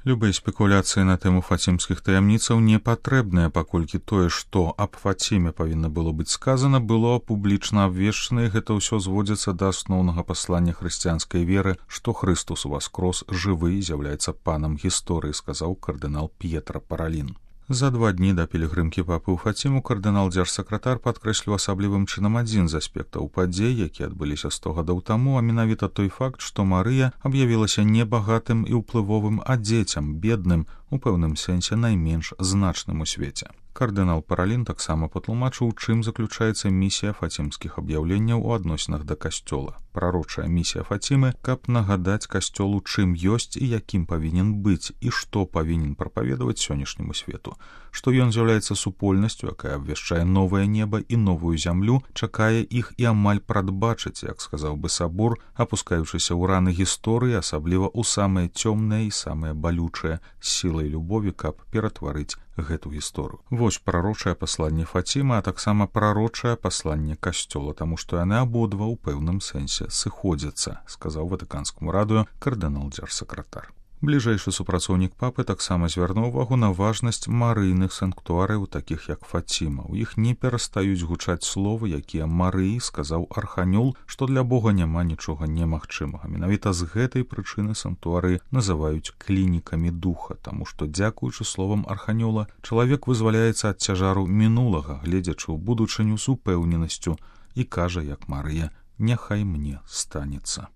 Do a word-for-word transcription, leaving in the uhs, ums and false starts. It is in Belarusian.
Любыя спекуляцыі на тэму фацімскіх таямніцаў не патрэбныя, паколькі тое, што аб Фаціме павінна было быць сказана, было публічна абвешчана, і гэта ўсё зводзіцца да асноўнага паслання хрысціянскай веры, што Хрыстус уваскрос жывы і з'яўляецца панам гісторыі, сказаў кардынал П'етра Паралін. За два дні да пілігрымкі папы ў Фаціму кардынал-дзяржсакратар падкрэсліў асаблівым чынам адзін з аспектаў падзей, якія адбыліся сто гадоў таму, а менавіта той факт, што Марыя аб'явілася не багатым і ўплывовым, а дзецям, бедным, у пэўным сэнсе найменш значным у свеце. Кардынал Паралін таксама патлумачыў, чым заключаецца місія фацімскіх аб'яўленняў у адносінах да касцёла. Прарочая місія Фацімы, каб нагадаць касцёлу, чым ёсць і якім павінен быць, і што павінен прапаведаваць сённяшняму свету, што ён з'яўляецца супольнасцю, якая абвяшчае новае неба і новую зямлю, чакае іх і амаль прадбачыць, як сказаў бы сабор, апускаючыся ў раны гісторыі, асабліва ў самыя цёмныя і самыя балючыя, сілай любові, каб ператварыць гэту гісторыю. Вось прарочае пасланне Фацімы, а таксама прарочае пасланне касцёла, таму што яны абодва ў пэўным сэнсе сыходзяцца, сказаў ватыканскаму радыё кардынал-дзяржсакратар. Бліжэйшы супрацоўнік папы таксама звярнуў увагу на важнасць марыйных санктуарыяў, такіх як Фаціма. У іх не перастаюць гучаць словы, якія Марыі сказаў арханёл, што для Бога няма нічога немагчымага. Менавіта з гэтай прычыны санктуарыі называюць клінікамі духа, таму што, дзякуючы словам арханёла, чалавек вызваляецца ад цяжару мінулага, гледзячы ў будучыню з упэўненасцю, і кажа, як Марыя: «Няхай мне станецца».